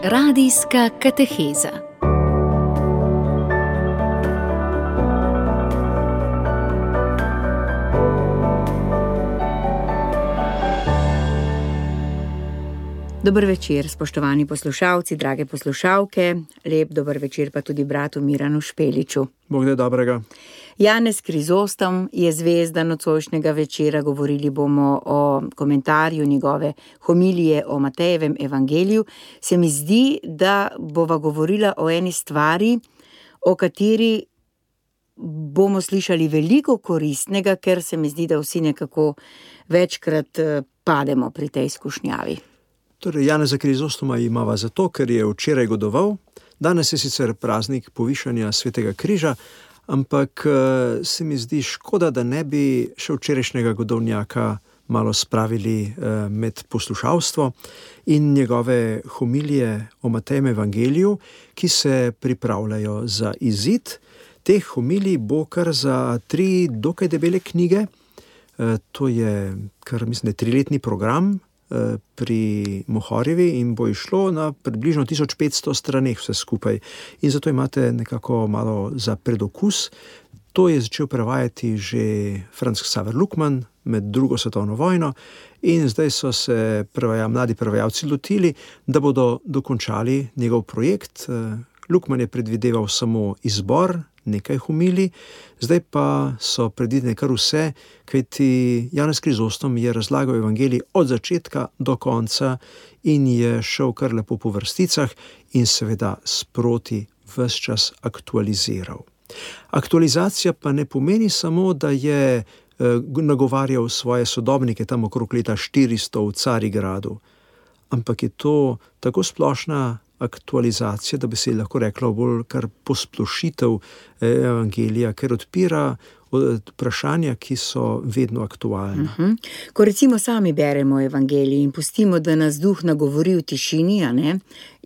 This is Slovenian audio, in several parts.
Radijska kateheza. Dober večer, spoštovani poslušalci, drage poslušalke. Lep dober večer pa tudi bratu Miranu Špeliču. Bog da dobrega. Janez Krizostom je zvezda nocojšnjega večera. Govorili bomo o komentarju njegove homilije o Matejevem evangeliju. Se mi zdi, da bova govorila o eni stvari, o kateri bomo slišali veliko koristnega, ker se mi zdi, da vsi nekako večkrat pademo pri tej skušnjavi. Torej, Janeza Krizostoma imava zato, ker je včeraj godoval. Danes je sicer praznik povišanja Svetega križa, ampak se mi zdi škoda, da ne bi še včerajšnjega godovnjaka malo spravili med poslušalstvo in njegove homilije o Matejem evangeliju, ki se pripravljajo za izid. Teh homilij bo kar za 3 dokaj debele knjige. To je kar, mislim, 3-letni program pri Mohorjevi in bo išlo na približno 1500 straneh vse skupaj. In zato imate nekako malo za predokus. To je začel prevajati že Franz Xaver Lukman med 2. svetovno vojno in zdaj so se mladi prevajalci lotili, da bodo dokončali njegov projekt. Lukman je predvideval samo izbor nekaj homilij, zdaj pa so predvidene kar vse, kajti Janez Krizostom je razlagal evangelij od začetka do konca in je šel kar lepo po vrsticah in seveda sproti ves čas aktualiziral. Aktualizacija pa ne pomeni samo, da je nagovarjal svoje sodobnike tam okrog leta 400 v Carigradu, ampak je to tako splošna aktualizacija, da bi se lahko rekla bolj kar posplošitev evangelija, ker odpira vprašanja, ki so vedno aktualna. Ko recimo sami beremo evangelij in pustimo, da nas duh nagovori v tišini,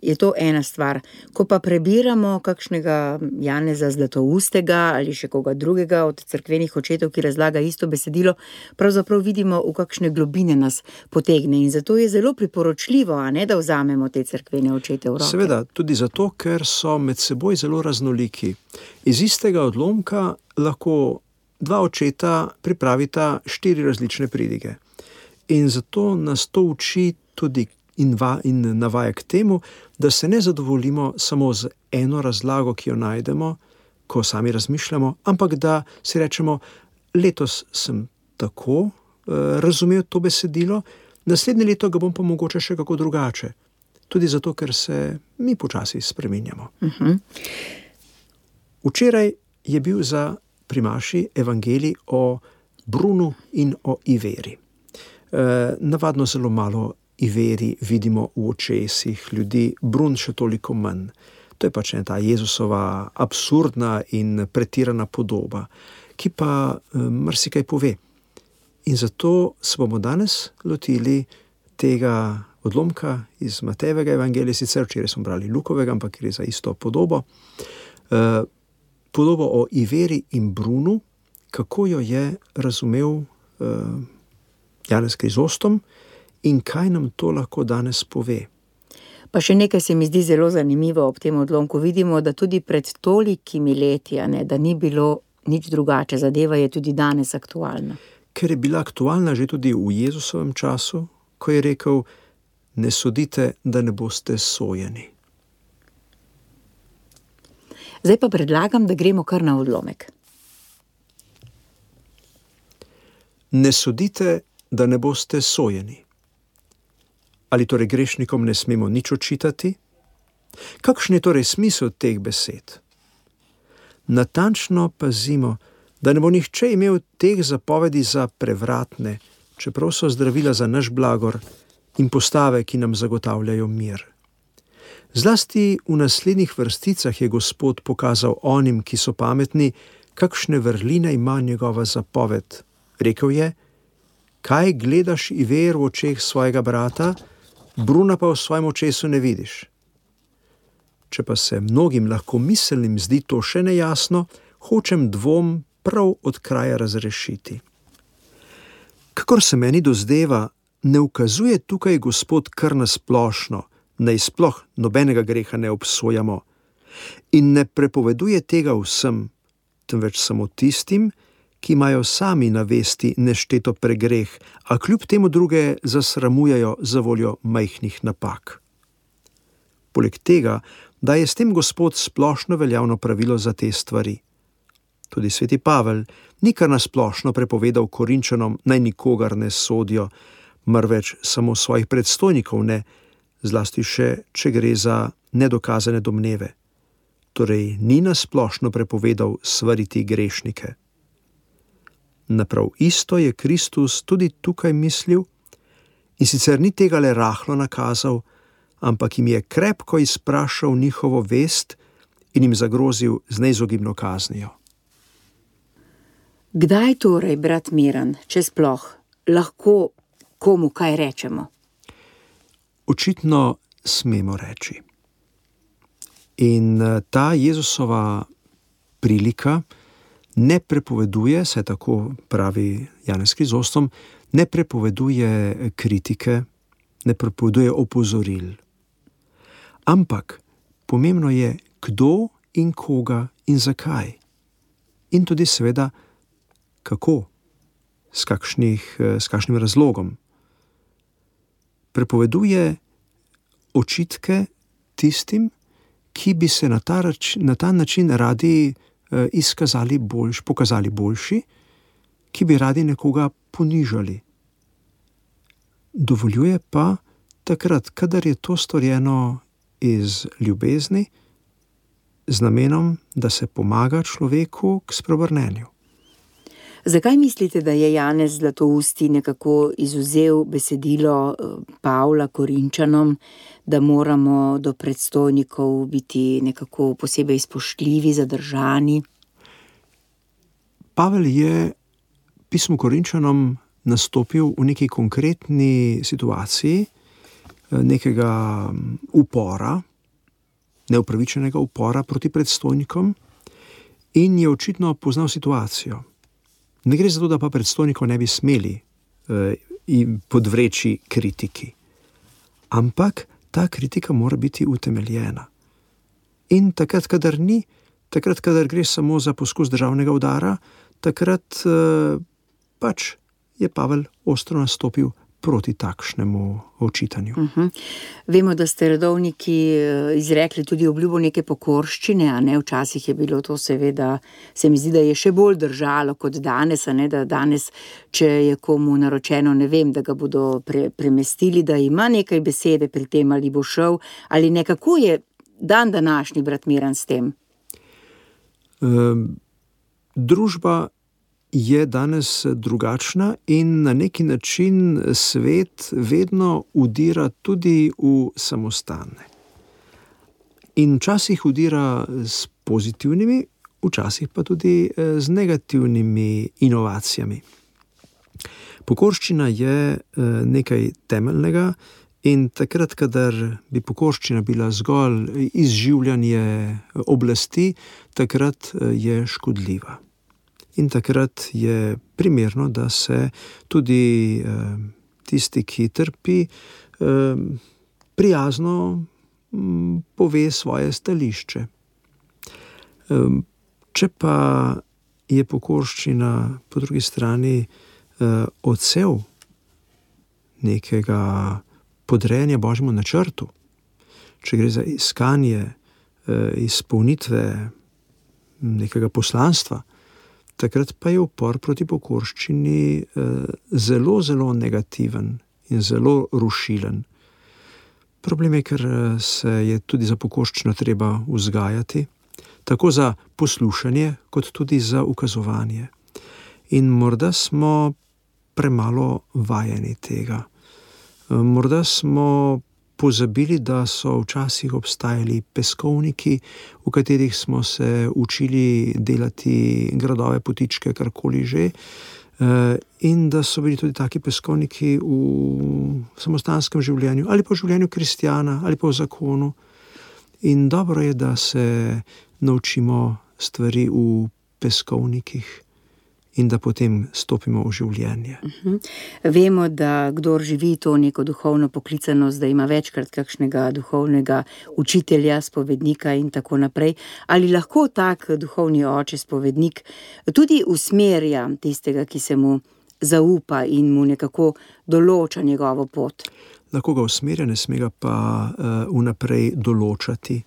je to ena stvar. Ko pa prebiramo kakšnega Janeza Zlatoustega ali še koga drugega od cerkvenih očetov, ki razlaga isto besedilo, pravzaprav vidimo, v kakšne globine nas potegne. In zato je zelo priporočljivo, da vzamemo te cerkvene očete v roke. Seveda, tudi zato, ker so med seboj zelo raznoliki. Iz istega odlomka lahko 2 očeta pripravita 4 različne pridige. In zato nas to uči tudi in navaja k temu, da se ne zadovoljimo samo z eno razlago, ki jo najdemo, ko sami razmišljamo, ampak da si rečemo, letos sem tako razumel to besedilo, naslednje leto ga bom pa mogoče še kako drugače. Tudi zato, ker se mi počasi spreminjamo. Včeraj je bil za primaši evangelij o Brunu in o Iveri. Navadno zelo malo Iveri vidimo v očesih ljudi, Brun še toliko manj. To je pač ta Jezusova absurdna in pretirana podoba, ki pa marsikaj pove. In zato se bomo danes lotili tega odlomka iz Matejevega evangelija, sicer včeraj smo brali Lukovega, ampak gre za isto podobo. Podobo o Iveri in Brunu, kako jo je razumel Janez Krizostom in kaj nam to lahko danes pove. Pa še nekaj se mi zdi zelo zanimivo ob tem odlomku. Vidimo, da tudi pred tolikimi leti, da ni bilo nič drugače. Zadeva je tudi danes aktualna. Ker je bila aktualna že tudi v Jezusovem času, ko je rekel, ne sodite, da ne boste sojeni. Zdaj pa predlagam, da gremo kar na odlomek. Ne sodite, da ne boste sojeni. Ali torej grešnikom ne smemo nič očitati? Kakšen je torej smisel teh besed? Natančno pazimo, da ne bo nihče imel teh zapovedi za prevratne, čeprav so zdravila za naš blagor in postave, ki nam zagotavljajo mir. Zlasti v naslednjih vrsticah je Gospod pokazal onim, ki so pametni, kakšne vrline ima njegova zapoved. Rekel je, kaj gledaš Iver v očeh svojega brata, Bruna pa v svojem očesu ne vidiš. Če pa se mnogim lahko miselnim zdi to še nejasno, hočem dvom prav od kraja razrešiti. Kakor se meni dozdeva, ne ukazuje tukaj Gospod kar na splošno, naj sploh nobenega greha ne obsojamo. In ne prepoveduje tega vsem, temveč samo tistim, ki imajo sami na vesti nešteto pregreh, a kljub temu druge zasramujejo za voljo majhnih napak. Poleg tega, da je s tem Gospod splošno veljavno pravilo za te stvari. Tudi sveti Pavel ni kar nasplošno prepovedal Korinčanom, naj nikogar ne sodijo, marveč samo svojih predstojnikov ne, zlasti še, če gre za nedokazane domneve. Torej ni nasplošno prepovedal svariti grešnike. Naprav isto je Kristus tudi tukaj mislil, in sicer ni tega le rahlo nakazal, ampak jim je krepko izprašal njihovo vest in jim zagrozil z neizogibno kaznijo. Kdaj torej, brat Miran, če sploh, lahko komu kaj rečemo? Očitno smemo reči. In ta Jezusova prilika ne prepoveduje, saj tako pravi Janez Krizostom, ne prepoveduje kritike, ne prepoveduje opozoril. Ampak pomembno je, kdo in koga in zakaj. In tudi seveda, kako, s kakšnim razlogom. Prepoveduje očitke tistim, ki bi se na ta način radi pokazali boljši, ki bi radi nekoga ponižali. Dovoljuje pa takrat, kadar je to storjeno iz ljubezni, z namenom, da se pomaga človeku k spreobrnenju. Zakaj mislite, da je Janez Zlatousti nekako izvzel besedilo Pavla Korinčanom, da moramo do predstojnikov biti nekako posebej spoštljivi, zadržani? Pavel je pismu Korinčanom nastopil v neki konkretni situaciji, nekega upora, neupravičenega upora proti predstojnikom, in je očitno poznal situacijo. Ne gre za to, da pa predstojnikov ne bi smeli podvreči kritiki. Ampak ta kritika mora biti utemeljena. In takrat, kadar gre samo za poskus državnega udara, takrat pač je Pavel ostro nastopil proti takšnemu očitanju. Vemo, da ste redovniki izrekli tudi obljubo neke pokorščine, a ne? Včasih je bilo to seveda, se mi zdi, da je še bolj držalo kot danes, a ne? Da danes, če je komu naročeno, ne vem, da ga bodo premestili, da ima nekaj besede pri tem, ali bo šel, ali ne. Kako je dan današnji, brat Miran, s tem? Družba je danes drugačna in na neki način svet vedno udira tudi v samostane. In včasih udira s pozitivnimi, včasih pa tudi z negativnimi inovacijami. Pokorščina je nekaj temeljnega in takrat, kadar bi pokorščina bila zgolj izživljanje oblasti, takrat je škodljiva. In takrat je primerno, da se tudi tisti, ki trpi, prijazno pove svoje stališče. Če pa je pokorščina po drugi strani odsev nekega podrejanja Božjemu načrtu, če gre za iskanje izpolnitve nekega poslanstva, takrat pa je upor proti pokorščini zelo, zelo negativen in zelo rušilen. Problem je, ker se je tudi za pokorščino treba vzgajati, tako za poslušanje, kot tudi za ukazovanje. In morda smo premalo vajeni tega. Morda smo pozabili, da so včasih obstajali peskovniki, v katerih smo se učili delati gradove, potičke, karkoli že, in da so bili tudi taki peskovniki v samostanskem življenju, ali pa v življenju kristjana, ali pa v zakonu. In dobro je, da se naučimo stvari v peskovnikih in da potem stopimo v življenje. Vemo, da kdor živi to neko duhovno poklicanost, da ima večkrat kakšnega duhovnega učitelja, spovednika in tako naprej. Ali lahko tak duhovni oče, spovednik, tudi usmerja tistega, ki se mu zaupa in mu nekako določa njegovo pot? Lahko ga usmerja, ne sme ga pa vnaprej določati,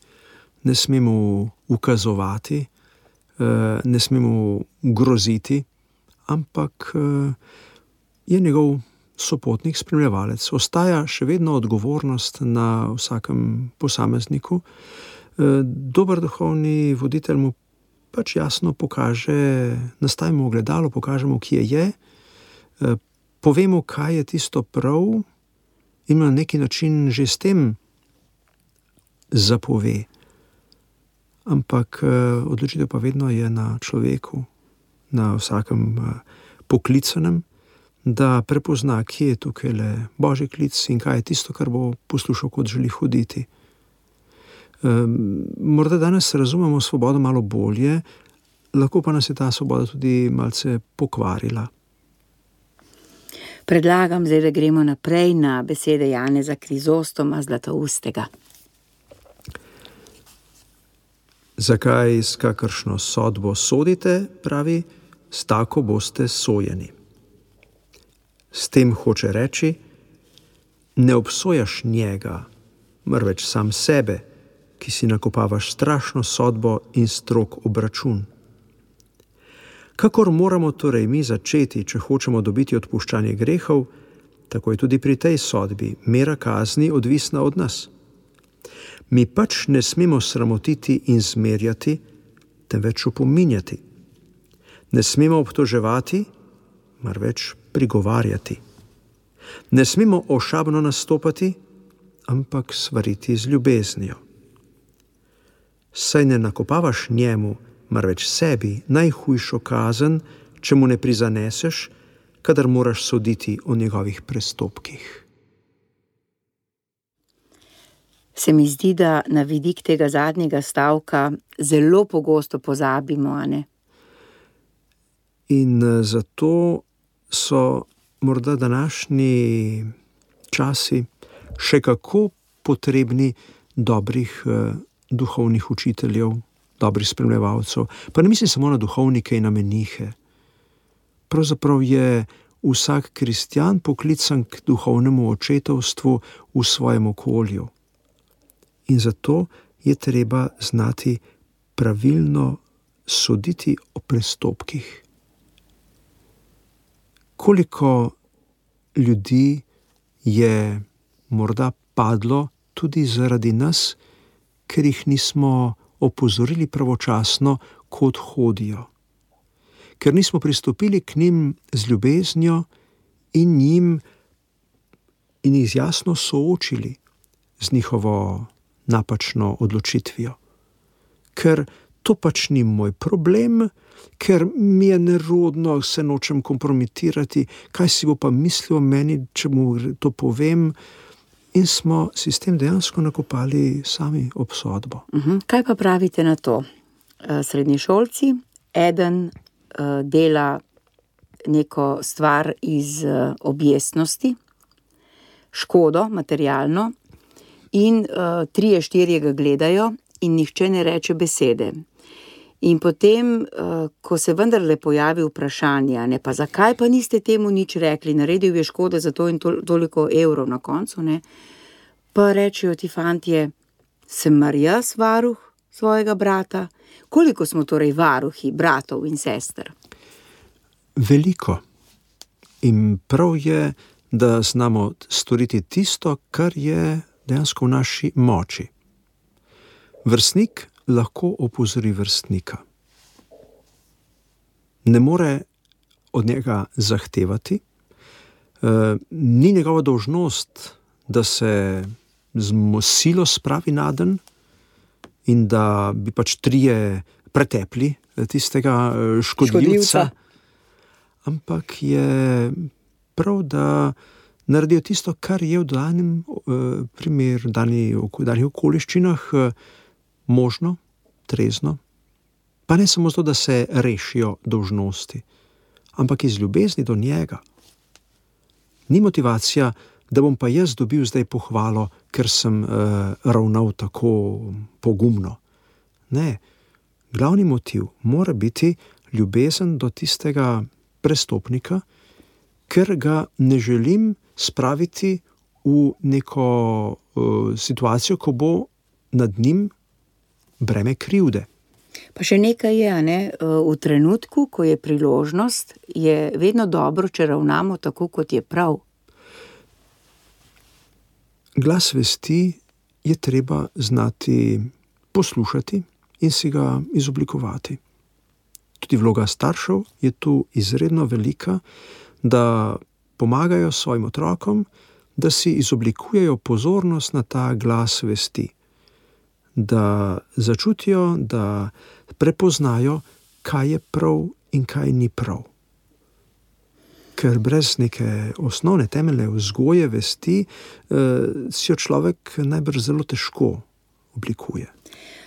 ne sme mu ukazovati, ne sme mu groziti, ampak je njegov sopotnik, spremljevalec. Ostaja še vedno odgovornost na vsakem posamezniku. Dober duhovni voditelj mu pač jasno pokaže, nastavimo ogledalo, pokažemo, kje je, povemo, kaj je tisto prav, in na neki način že s tem zapove. Ampak odločitev pa vedno je na človeku, na vsakem poklicanem, da prepozna, kje je tukaj le Božji klic in kaj je tisto, kar bo poslušal, kot želi hoditi. Morda danes razumemo svobodo malo bolje, lahko pa nas je ta svoboda tudi malce pokvarila. Predlagam zdaj, da gremo naprej na besede Janeza Krizostoma Zlatoustega. Zakaj s kakršno sodbo sodite, pravi, s tako boste sojeni. S tem hoče reči, ne obsojaš njega, marveč sam sebe, ki si nakopavaš strašno sodbo in strog obračun. Kakor moramo torej mi začeti, če hočemo dobiti odpuščanje grehov, tako je tudi pri tej sodbi mera kazni odvisna od nas. Mi pač ne smemo sramotiti in zmerjati, temveč opominjati. Ne smemo obtoževati, marveč prigovarjati. Ne smemo ošabno nastopati, ampak svariti z ljubeznijo. Saj ne nakopavaš njemu, marveč sebi, najhujšo kazen, če mu ne prizaneseš, kadar moraš soditi o njegovih prestopkih. Se mi zdi, da na vidik tega zadnjega stavka zelo pogosto pozabimo, a ne? In zato so morda današnji časi še kako potrebni dobrih duhovnih učiteljev, dobrih spremljevalcev. Pa ne mislim samo na duhovnike in na menihe. Pravzaprav je vsak kristjan poklican k duhovnemu očetovstvu v svojem okolju. In zato je treba znati pravilno soditi o prestopkih. Koliko ljudi je morda padlo tudi zaradi nas, ker jih nismo opozorili pravočasno, kot hodijo. Ker nismo pristopili k njim z ljubeznijo in jih jasno soočili z njihovo napačno odločitvijo. Ker to pač ni moj problem, ker mi je nerodno, se nočem kompromitirati, kaj si bo pa mislil o meni, če mu to povem, in smo si s tem dejansko nakopali sami obsodbo. Kaj pa pravite na to? Srednješolci, eden dela neko stvar iz objestnosti, škodo materialno, in 3-4 ga gledajo in nihče ne reče besede. In potem, ko se vendarle pojavi vprašanje, ne, pa zakaj pa niste temu nič rekli, naredil je škodo za to in toliko evrov na koncu, ne, pa rečejo ti fantje, sem mar jaz varuh svojega brata? Koliko smo torej varuhi bratov in sester? Veliko. In prav je, da znamo storiti tisto, kar je dejansko v naši moči. Vrstnik lahko opozori vrstnika. Ne more od njega zahtevati, ni njegova dolžnost, da se z silo spravi naden in da bi pač 3 pretepli tistega škodljivca. Ampak je prav, da naredijo tisto, kar je v danem primeru, danih okoliščinah možno, trezno, pa ne samo zato, da se rešijo dolžnosti, ampak iz ljubezni do njega. Ni motivacija, da bom pa jaz dobil zdaj pohvalo, ker sem ravnal tako pogumno. Ne, glavni motiv mora biti ljubezen do tistega prestopnika, ker ga ne želim spraviti v neko situacijo, ko bo nad njim breme krivde. Pa še nekaj je, ne? V trenutku, ko je priložnost, je vedno dobro, če ravnamo tako, kot je prav. Glas vesti je treba znati poslušati in si ga izoblikovati. Tudi vloga staršev je tu izredno velika, da pomagajo svojim otrokom, da si izoblikujejo pozornost na ta glas vesti. Da začutijo, da prepoznajo, kaj je prav in kaj ni prav. Ker brez neke osnovne temeljne vzgoje vesti si jo človek najbrž zelo težko oblikuje.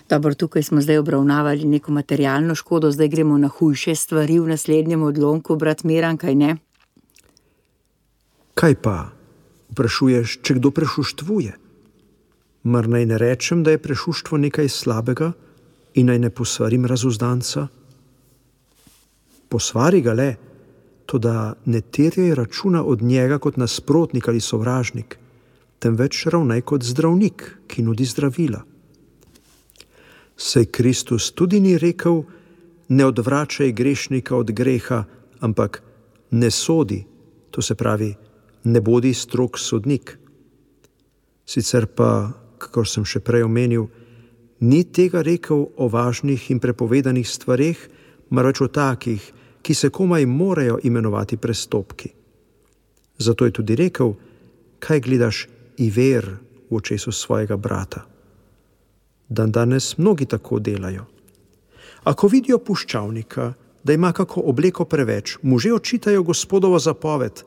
Dobro, tukaj smo zdaj obravnavali neko materialno škodo, zdaj gremo na hujše stvari v naslednjem odlomku, brat Miran, kaj ne? Kaj pa? Vprašuješ, če kdo prešuštvuje? Mar naj ne rečem, da je prešuštvo nekaj slabega in naj ne posvarim razuzdanca? Posvari ga le, toda ne terjaj računa od njega kot nasprotnik ali sovražnik, temveč ravnaj kot zdravnik, ki nudi zdravila. Saj Kristus tudi ni rekel, ne odvračaj grešnika od greha, ampak ne sodi, to se pravi, ne bodi strog sodnik. Sicer pa, kakor sem še prej omenil, ni tega rekel o važnih in prepovedanih stvareh, marveč o takih, ki se komaj morajo imenovati prestopki. Zato je tudi rekel, kaj gledaš iver v očesu svojega brata. Dandanes mnogi tako delajo. Ako vidijo puščavnika, da ima kako obleko preveč, mu že očitajo Gospodovo zapoved,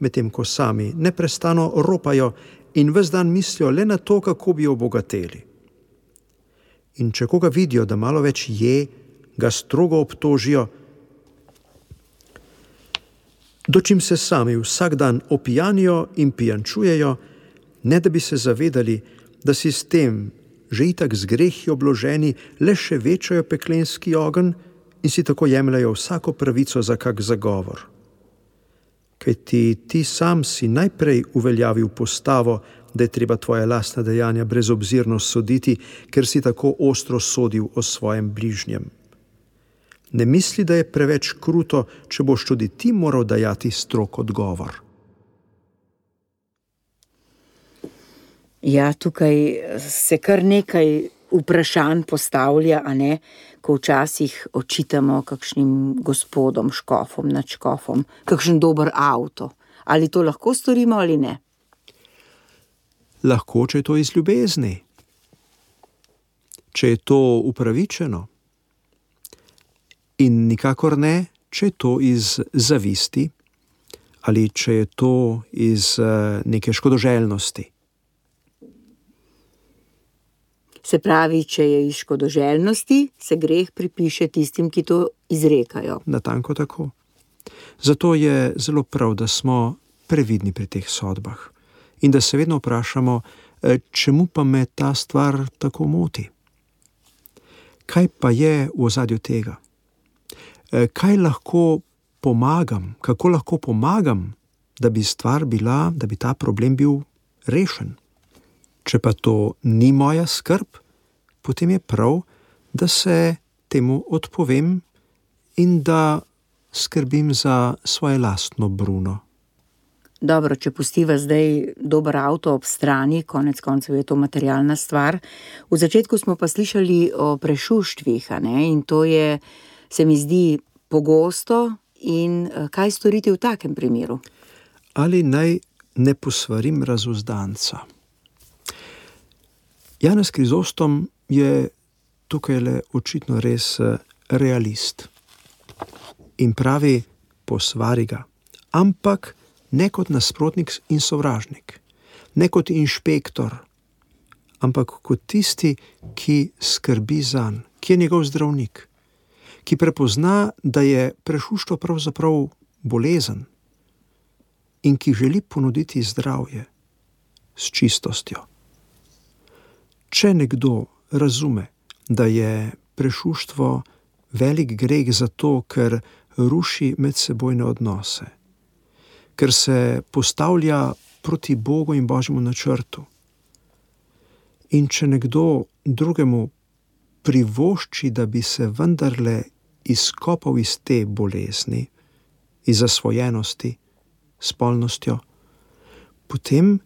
medtem ko sami neprestano ropajo in ves dan mislijo le na to, kako bi obogateli. In če koga vidijo, da malo več je, ga strogo obtožijo, dočim se sami vsak dan opijanijo in pijančujejo, ne da bi se zavedali, da si s tem, že itak z grehi obloženi, le še večajo peklenski ogenj in si tako jemljajo vsako pravico za kak zagovor. Kajti ti sam si najprej uveljavil postavo, da je treba tvoja lastna dejanja brezobzirno soditi, ker si tako ostro sodil o svojem bližnjem. Ne misli, da je preveč kruto, če boš tudi ti moral dajati strog odgovor. Ja, tukaj se kar nekaj vprašanj postavlja, a ne, ko včasih očitamo kakšnim gospodom, škofom, nadškofom, kakšen dober avto. Ali to lahko storimo ali ne? Lahko, če je to iz ljubezni. Če je to upravičeno. In nikakor ne, če je to iz zavisti ali če je to iz neke škodoželjnosti. Se pravi, če je iz škodoželjnosti, se greh pripiše tistim, ki to izrekajo. Natanko tako. Zato je zelo prav, da smo previdni pri teh sodbah in da se vedno vprašamo, čemu pa me ta stvar tako moti. Kaj pa je v ozadju tega? Kaj lahko pomagam, kako lahko pomagam, da bi stvar bila, da bi ta problem bil rešen? Če pa to ni moja skrb, potem je prav, da se temu odpovem in da skrbim za svoje lastno bruno. Dobro, če pustiva zdaj dober avto ob strani, konec koncev je to materialna stvar. V začetku smo pa slišali o prešuštvih, a ne? In to je, se mi zdi, pogosto. In kaj storiti v takem primeru? Ali naj ne posvarim razuzdanca? Janez Krizostom je tukaj le očitno res realist. In pravi, posvari ga, ampak ne kot nasprotnik in sovražnik, ne kot inšpektor, ampak kot tisti, ki skrbi zanj, ki je njegov zdravnik, ki prepozna, da je prešuštvo pravzaprav bolezen in ki želi ponuditi zdravje s čistostjo. Če nekdo razume, da je prešuštvo velik greh zato, ker ruši medsebojne odnose, ker se postavlja proti Bogu in Božjemu načrtu, in če nekdo drugemu privošči, da bi se vendarle izkopal iz te bolezni, iz zasvojenosti, spolnostjo, potem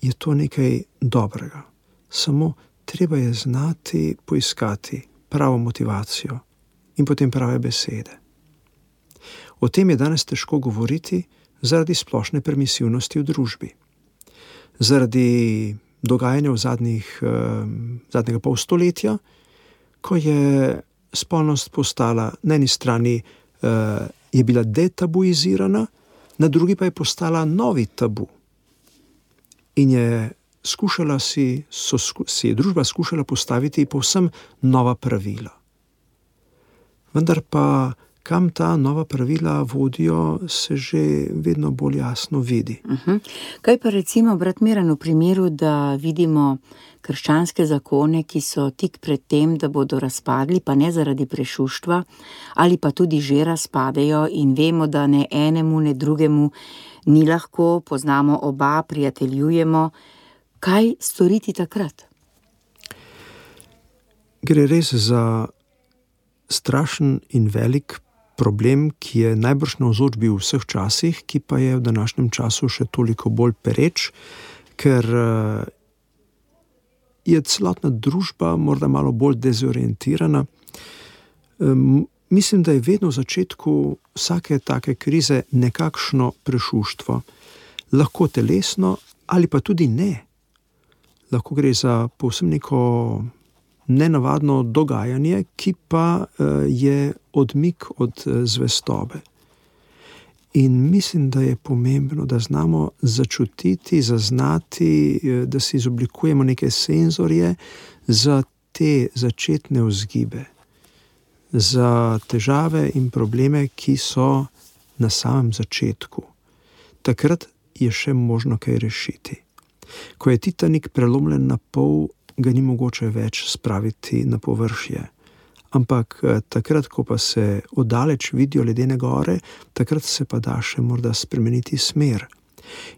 je to nekaj dobrega. Samo treba je znati poiskati pravo motivacijo in potem prave besede. O tem je danes težko govoriti zaradi splošne permisivnosti v družbi. Zaradi dogajanja v zadnjega pol stoletja, ko je spolnost postala na eni strani je bila detabuizirana, na drugi pa je postala novi tabu. In je družba skušala postaviti povsem nova pravila. Vendar pa kam ta nova pravila vodijo, se že vedno bolj jasno vidi. Kaj pa recimo, brat Miran, v primeru, da vidimo krščanske zakone, ki so tik pred tem, da bodo razpadli, pa ne zaradi prešuštva, ali pa tudi že razpadejo in vemo, da ne enemu, ne drugemu ni lahko, poznamo oba, prijateljujemo. Kaj storiti takrat? Gre res za strašen in velik problem, ki je najbrž navzoč bil v vseh časih, ki pa je v današnjem času še toliko bolj pereč, ker je celotna družba morda malo bolj dezorientirana. Mislim, da je vedno v začetku vsake take krize nekakšno prešuštvo. Lahko telesno ali pa tudi ne. Lahko gre za povsem neko nenavadno dogajanje, ki pa je odmik od zvestobe. In mislim, da je pomembno, da znamo začutiti, zaznati, da si izoblikujemo neke senzorje za te začetne vzgibe, za težave in probleme, ki so na samem začetku. Takrat je še možno kaj rešiti. Ko je Titanik prelomljen na pol, ga ni mogoče več spraviti na površje. Ampak takrat, ko pa se oddaleč vidijo ledene gore, takrat se pa da še morda spremeniti smer.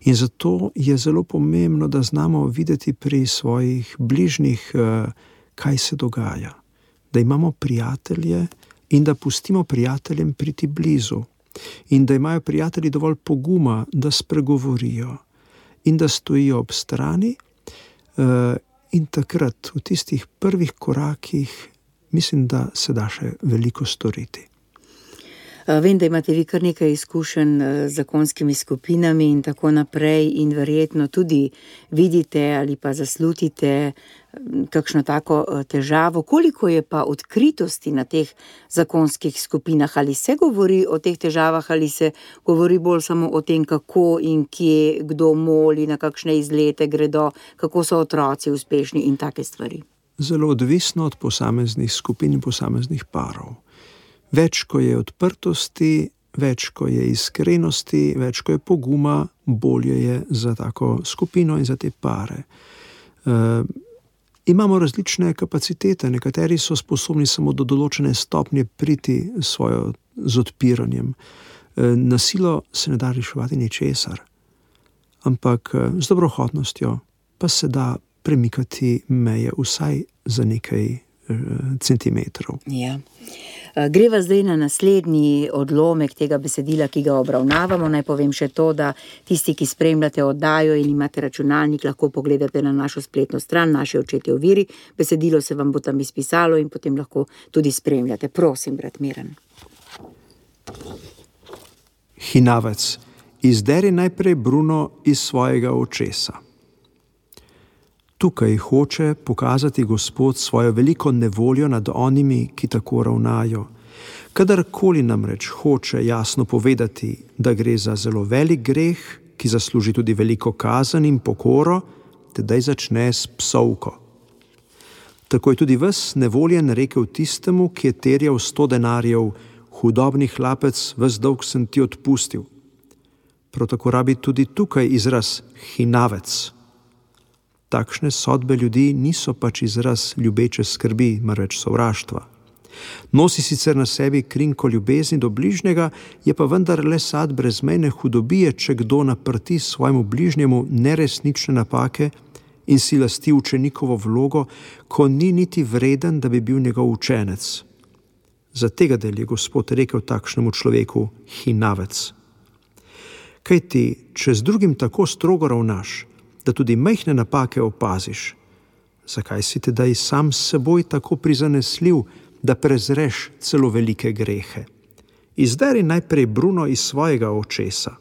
In zato je zelo pomembno, da znamo videti pri svojih bližnjih, kaj se dogaja. Da imamo prijatelje in da pustimo prijateljem priti blizu. In da imajo prijatelji dovolj poguma, da spregovorijo. In da stojijo ob strani. In takrat, v tistih prvih korakih, mislim, da se da še veliko storiti. Vem, da imate vi kar nekaj izkušenj z zakonskimi skupinami in tako naprej in verjetno tudi vidite ali pa zaslutite kakšno tako težavo. Koliko je pa odkritosti na teh zakonskih skupinah? Ali se govori o teh težavah ali se govori bolj samo o tem, kako in kje, kdo moli, na kakšne izlete gredo, kako so otroci uspešni in take stvari? Zelo odvisno od posameznih skupin in posameznih parov. Več, ko je odprtosti, več, ko je iskrenosti, več, ko je poguma, bolje je za tako skupino in za te pare. Imamo različne kapacitete, nekateri so sposobni samo do določene stopnje priti z odpiranjem. Na silo se ne da reševati ničesar, ampak z dobrohotnostjo pa se da premikati meje vsaj za nekaj centimetrov. Ja. Greva zdaj na naslednji odlomek tega besedila, ki ga obravnavamo. Naj povem še to, da tisti, ki spremljate oddajo in imate računalnik, lahko pogledate na našo spletno stran, Naši očetje v veri. Besedilo se vam bo tam izpisalo in potem lahko tudi spremljate. Prosim, brat Miran. Hinavec, izderi najprej Bruno iz svojega očesa. Tukaj hoče pokazati Gospod svojo veliko nevoljo nad onimi, ki tako ravnajo. Kadarkoli namreč hoče jasno povedati, da gre za zelo velik greh, ki zasluži tudi veliko kazen in pokoro, tedaj začne s psovko. Tako je tudi ves nevoljen rekel tistemu, ki je terjal 100 denarjev, hudobni hlapec, ves dolg sem ti odpustil. Prav tako rabi tudi tukaj izraz hinavec. Takšne sodbe ljudi niso pač izraz ljubeče skrbi, marveč sovraštva. Nosi sicer na sebi krinko ljubezni do bližnjega, je pa vendar le sad brezmejne hudobije, če kdo naprti svojemu bližnjemu neresnične napake in si lasti učenikovo vlogo, ko ni niti vreden, da bi bil njegov učenec. Za tega del je Gospod rekel takšnemu človeku hinavec. Kaj ti, če z drugim tako strogo ravnaš, da tudi majhne napake opaziš, zakaj si tedaj sam s seboj tako prizanesljiv, da prezreš celo velike grehe? Izderi najprej bruno iz svojega očesa.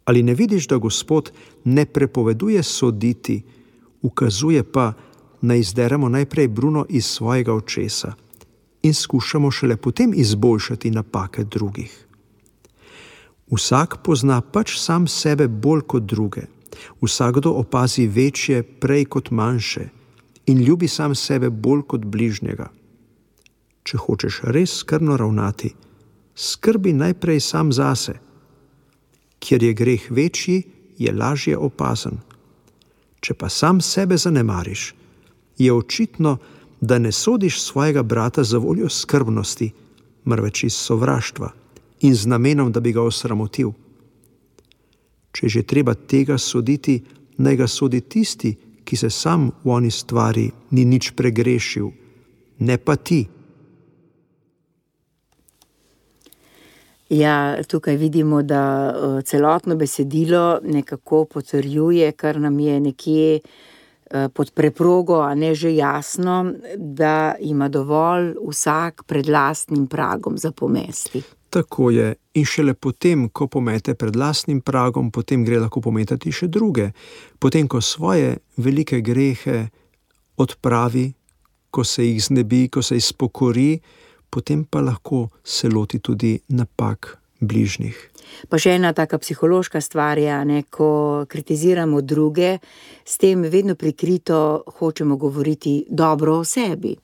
Ali ne vidiš, da Gospod ne prepoveduje soditi, ukazuje pa, naj izderemo najprej bruno iz svojega očesa in skušamo šele potem izboljšati napake drugih? Vsak pozna pač sam sebe bolj kot druge. Vsakdo opazi večje prej kot manjše in ljubi sam sebe bolj kot bližnjega. Če hočeš res skrbno ravnati, skrbi najprej sam zase. Kjer je greh večji, je lažje opazen. Če pa sam sebe zanemariš, je očitno, da ne sodiš svojega brata za voljo skrbnosti, marveč iz sovraštva in z namenom, da bi ga osramotil. Če že treba tega soditi, naj ga sodi tisti, ki se sam v oni stvari ni nič pregrešil, ne pa ti. Ja, tukaj vidimo, da celotno besedilo nekako potrjuje, kar nam je nekje pod preprogo, a ne že jasno, da ima dovolj vsak pred lastnim pragom za pomesti. Tako je. In šele potem, ko pomete pred lastnim pragom, potem gre lahko pometati še druge. Potem, ko svoje velike grehe odpravi, ko se jih znebi, ko se izpokori, potem pa lahko se loti tudi napak bližnjih. Pa še ena taka psihološka stvar je, ne, ko kritiziramo druge, s tem vedno prikrito hočemo govoriti dobro o sebi.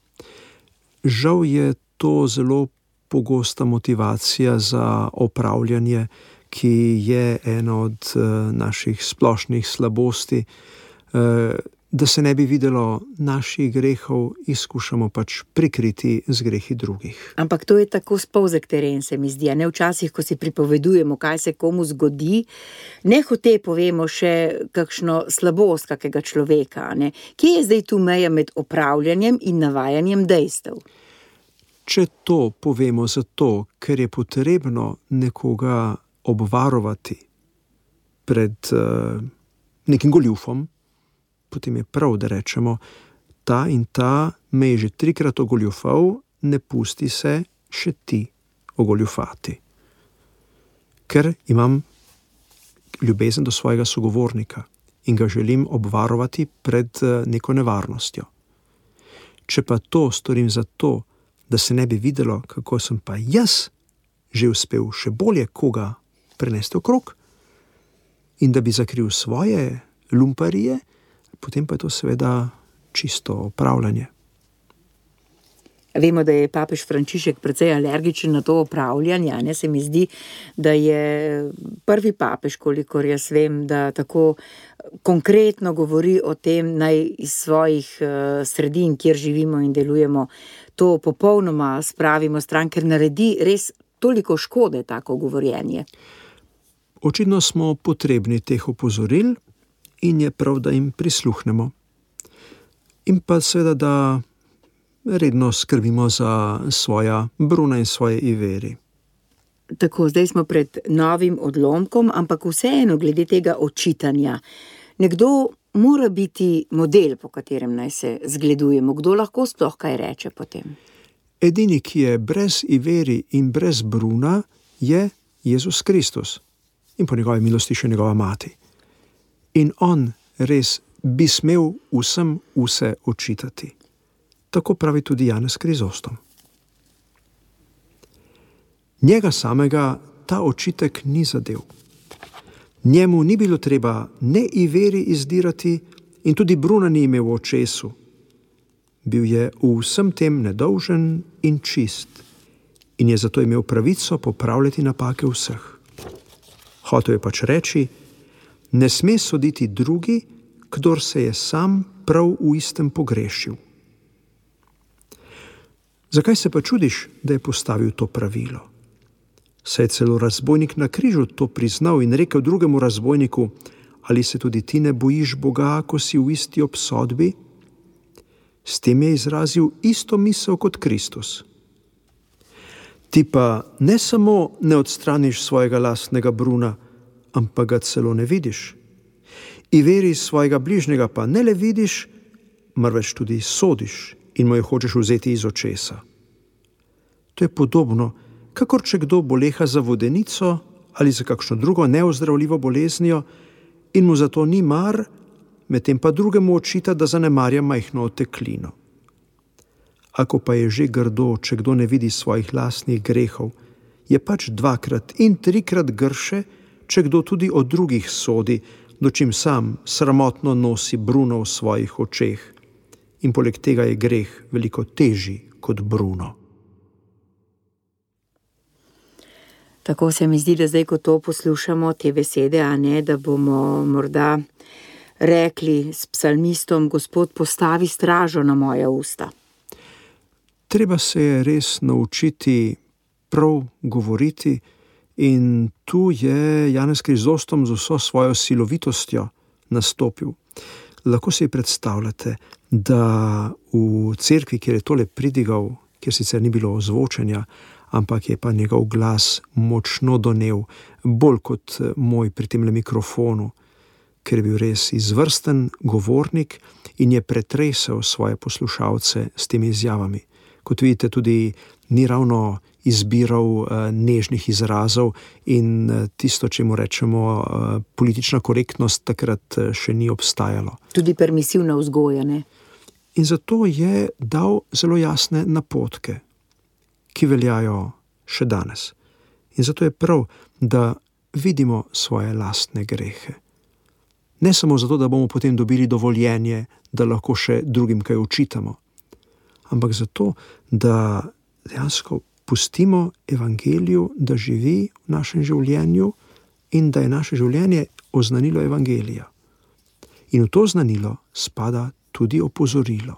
Žal je to zelo pogosta motivacija za opravljanje, ki je ena od naših splošnih slabosti. Da se ne bi videlo naših grehov, izkušamo pač prikriti z grehi drugih. Ampak to je tako spolzek teren, se mi zdi, a ne včasih, ko si pripovedujemo, kaj se komu zgodi, nehote povemo še kakšno slabost kakega človeka, ne? Kje je zdaj tu meja med opravljanjem in navajanjem dejstev? Če to povemo zato, ker je potrebno nekoga obvarovati pred nekim goljufom, potem je prav, da rečemo, ta in ta me je že 3-krat ogoljufal, ne pusti se še ti ogoljufati. Ker imam ljubezen do svojega sogovornika in ga želim obvarovati pred neko nevarnostjo. Če pa to storim zato, da se ne bi videlo, kako sem pa jaz že uspel še bolje koga prenesti okrog in da bi zakril svoje lumparije, potem pa je to seveda čisto opravljanje. Vemo, da je papež Frančišek precej alergičen na to opravljanje, ne? Se mi zdi, da je prvi papež, kolikor jaz vem, da tako konkretno govori o tem, naj iz svojih sredin, kjer živimo in delujemo, to popolnoma spravimo stran, ker naredi res toliko škode tako govorjenje. Očitno smo potrebni teh opozoril in je prav, da jim prisluhnemo. In pa seveda, da redno skrbimo za svoja bruna in svoje iveri. Tako, zdaj smo pred novim odlomkom, ampak vseeno glede tega očitanja. Nekdo mora biti model, po katerem naj se zgledujemo. Kdo lahko sploh kaj reče potem? Edini, ki je brez iveri in brez bruna, je Jezus Kristus in po njegovi milosti še njegova mati. In on res bi smel vsem vse očitati. Tako pravi tudi Janez Krizostom. Njega samega ta očitek ni zadel. Njemu ni bilo treba ne iveri izdirati in tudi bruna ni imel v očesu. Bil je v vsem tem nedolžen in čist in je zato imel pravico popravljati napake vseh. Hotel je pač reči, ne sme soditi drugi, kdor se je sam prav v istem pogrešil. Zakaj se pa čudiš, da je postavil to pravilo? Saj je celo razbojnik na križu to priznal in rekel drugemu razbojniku, ali se tudi ti ne bojiš Boga, ko si v isti obsodbi? S tem je izrazil isto misel kot Kristus. Ti pa ne samo ne odstraniš svojega lastnega bruna, ampak ga celo ne vidiš. In veri svojega bližnjega pa ne le vidiš, marveč tudi sodiš in mu jo hočeš vzeti iz očesa. To je podobno, kakor če kdo boleha za vodenico ali za kakšno drugo neozdravljivo boleznijo in mu zato ni mar, medtem pa drugemu očita, da zanemarja majhno oteklino. Ako pa je že grdo, če kdo ne vidi svojih lastnih grehov, je pač 2-krat in 3-krat grše, če kdo tudi o drugih sodi, dočim sam sramotno nosi bruno v svojih očeh. In poleg tega je greh veliko težji kot bruno. Tako se mi zdi, da zdaj, ko to poslušamo, te besede, a ne, da bomo morda rekli s psalmistom, Gospod, postavi stražo na moja usta. Treba se je res naučiti prav govoriti in tu je Janez Krizostom z vso svojo silovitostjo nastopil. Lahko si predstavljate, da v cerkvi, kjer je tole pridigal, kjer sicer ni bilo ozvočenja, ampak je pa njegov glas močno donev, bolj kot moj pri temle mikrofonu, ker je bil res izvrsten govornik in je pretresel svoje poslušalce s temi izjavami. Kot vidite, tudi ni ravno izbiral nežnih izrazov in tisto, čemu rečemo politična korektnost, takrat še ni obstajalo. Tudi permisivna vzgoja, ne? In zato je dal zelo jasne napotke, ki veljajo še danes. In zato je prav, da vidimo svoje lastne grehe. Ne samo zato, da bomo potem dobili dovoljenje, da lahko še drugim kaj očitamo, ampak zato, da dejansko pustimo evangeliju, da živi v našem življenju in da je naše življenje oznanilo evangelija. In v to oznanilo spada tudi opozorilo.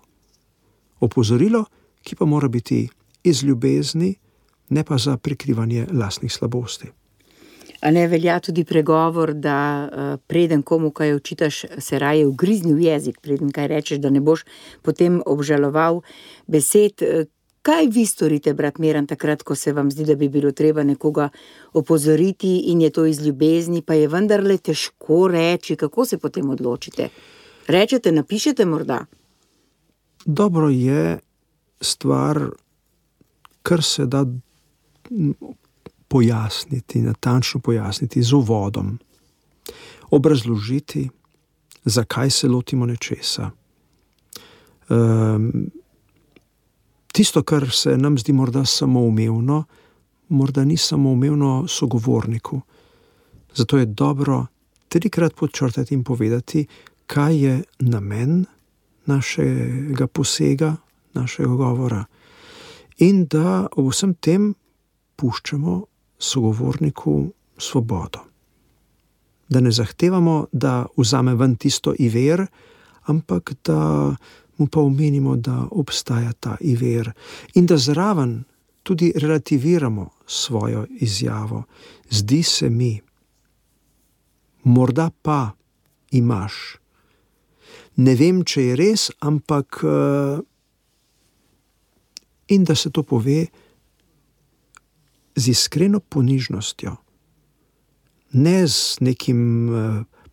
Opozorilo, ki pa mora biti iz ljubezni, ne pa za prikrivanje lastnih slabosti. A ne velja tudi pregovor, da preden komu kaj očitaš, se raje ugrizni v jezik, preden kaj rečeš, da ne boš potem obžaloval besed. Kaj vi storite, brat Miran, takrat, ko se vam zdi, da bi bilo treba nekoga opozoriti in je to iz ljubezni, pa je vendarle težko reči, kako se potem odločite? Rečete, napišete morda? Dobro je stvar, kar se da pojasniti, natančno pojasniti z uvodom, obrazložiti, zakaj se lotimo nečesa. Tisto, kar se nam zdi morda samoumevno, morda ni samoumevno sogovorniku. Zato je dobro 3-krat podčrtati in povedati, kaj je namen našega posega, našega govora. In da ob vsem tem puščamo sogovorniku svobodo. Da ne zahtevamo, da vzame ven tisto iver, ampak da mu pa omenimo, da obstaja ta iver in da zraven tudi relativiramo svojo izjavo. Zdi se mi, morda pa imaš. Ne vem, če je res, ampak in da se to pove z iskreno ponižnostjo, ne z nekim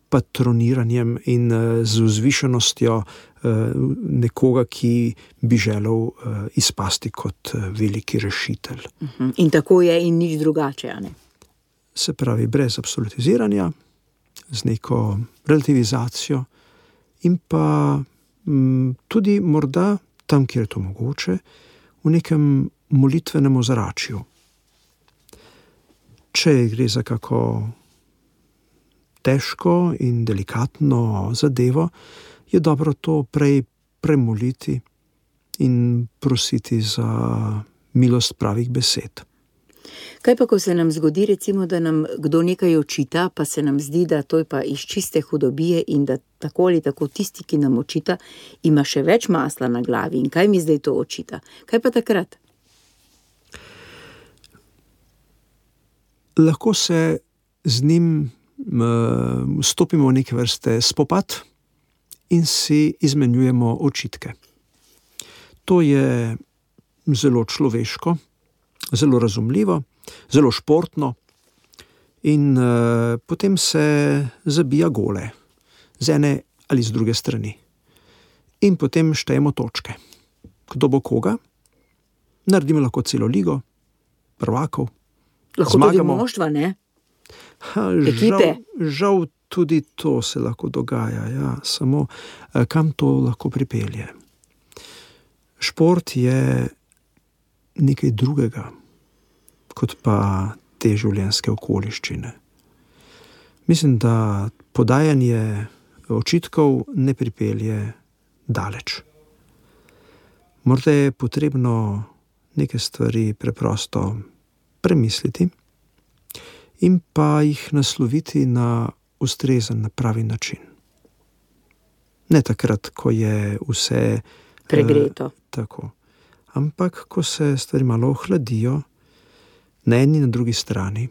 patroniranjem in z vzvišenostjo nekoga, ki bi želel izpasti kot veliki rešitelj. In tako je in nič drugače, a ne? Se pravi, brez absolutiziranja, z neko relativizacijo in pa tudi morda tam, kjer je to mogoče, v nekem molitvenem ozračju. Če gre za kako težko in delikatno zadevo, je dobro to prej premoliti in prositi za milost pravih besed. Kaj pa, ko se nam zgodi, recimo, da nam kdo nekaj očita, pa se nam zdi, da to je pa iz čiste hudobije in da tako ali tako tisti, ki nam očita, ima še več masla na glavi in kaj mi zdaj to očita? Kaj pa takrat? Lahko se z njim stopimo v neke vrste spopad in si izmenjujemo očitke. To je zelo človeško, zelo razumljivo, zelo športno in potem se zabija gole z ene ali z druge strani. In potem štejemo točke. Kdo bo koga? Naredimo lahko celo ligo, prvakov. Lahko zmagamo. Tudi moštva, ne? Ekipe. Žal tudi to se lahko dogaja, ja. Samo kam to lahko pripelje? Šport je nekaj drugega, kot pa te življenjske okoliščine. Mislim, da podajanje očitkov ne pripelje daleč. Morda je potrebno neke stvari preprosto premisliti in pa jih nasloviti na ustrezen, na pravi način. Ne takrat, ko je vse pregreto. Tako. Ampak, ko se stvari malo ohladijo, na eni in na drugi strani,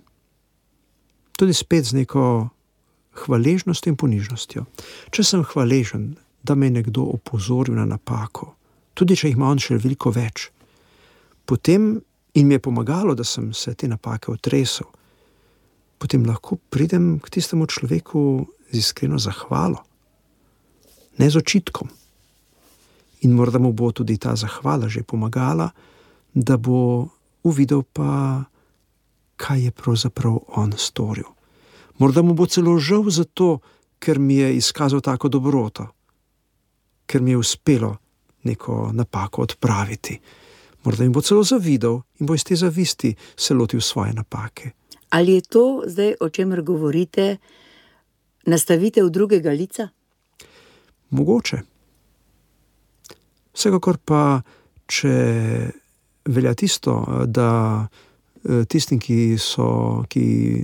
tudi spet z neko hvaležnostjo in ponižnostjo. Če sem hvaležen, da me je nekdo opozoril na napako, tudi če jih ima on še veliko več, potem in mi je pomagalo, da sem se te napake otresel, potem lahko pridem k tistemu človeku z iskreno zahvalo, ne z očitkom. In morda mu bo tudi ta zahvala že pomagala, da bo uvidel pa, kaj je pravzaprav on storil. Morda mu bo celo žal zato, ker mi je izkazal tako dobroto, ker mi je uspelo neko napako odpraviti. Morda mi bo celo zavidel in bo iz te zavisti se lotil svoje napake. Ali je to zdaj, o čemer govorite, nastavitev drugega lica? Mogoče. Vsekakor pa, če velja tisto, da tistim, ki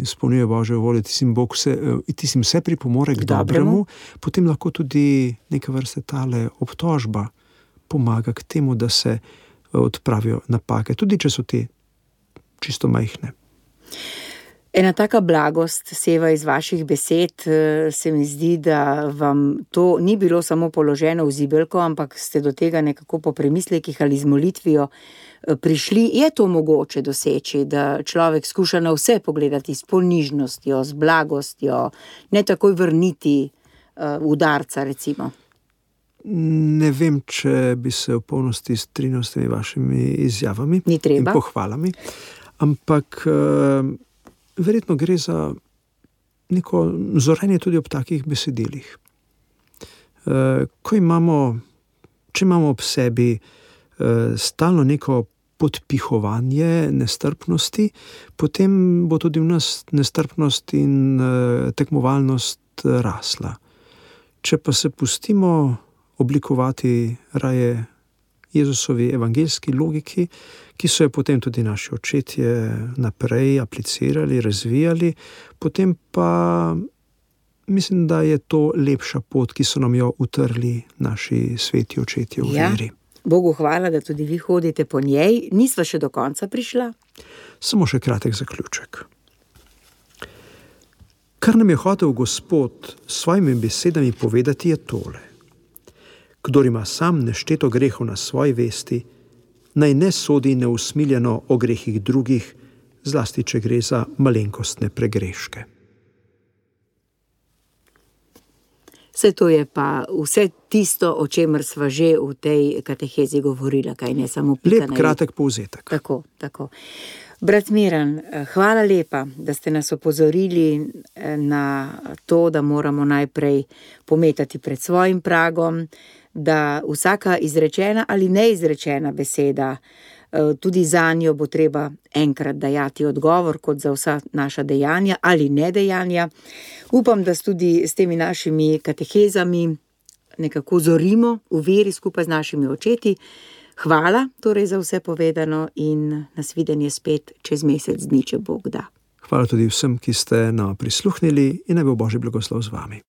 izpolnjujejo Božjo voljo, tistim vse pripomore k dobremu, potem lahko tudi neka vrsta tale obtožba pomaga k temu, da se odpravijo napake, tudi če so te čisto majhne. Ena taka blagost seva iz vaših besed, se mi zdi, da vam to ni bilo samo položeno v zibelko, ampak ste do tega nekako po premislekih ali z molitvijo prišli. Je to mogoče doseči, da človek skuša na vse pogledati s ponižnostjo, z blagostjo, ne takoj vrniti udarca, recimo? Ne vem, če bi se v polnosti strinjal s temi vašimi izjavami in pohvalami, ampak verjetno gre za neko zorenje tudi ob takih besedilih. Če imamo ob sebi stalno neko podpihovanje nestrpnosti, potem bo tudi v nas nestrpnost in tekmovalnost rasla. Če pa se pustimo oblikovati raje Jezusovi evangeljski logiki, ki so jo potem tudi naši očetje naprej aplicirali, razvijali, potem pa mislim, da je to lepša pot, ki so nam jo utrli naši sveti očetje v veri. Bogu hvala, da tudi vi hodite po njej. Nisva še do konca prišla? Samo še kratek zaključek. Kar nam je hotel Gospod s svojimi besedami povedati, je tole. Kdor ima sam nešteto grehov na svoji vesti, naj ne sodi neusmiljeno o grehih drugih, zlasti če gre za malenkostne pregreške. Vse to je pa vse tisto, o čemer sva že v tej katehezi govorila, kaj ne samo pika na i. Lep, kratek povzetek. Tako. Brat Miran, hvala lepa, da ste nas opozorili na to, da moramo najprej pometati pred svojim pragom, da vsaka izrečena ali neizrečena beseda, tudi za njo bo treba enkrat dajati odgovor, kot za vsa naša dejanja ali nedejanja. Upam, da tudi s temi našimi katehezami nekako zorimo v veri skupaj z našimi očeti. Hvala torej za vse povedano in nasvidenje spet čez mesec dni, če Bog da. Hvala tudi vsem, ki ste nam prisluhnili in naj bo Božji blagoslov z vami.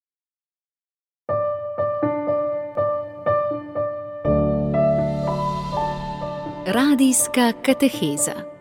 Radijska kateheza.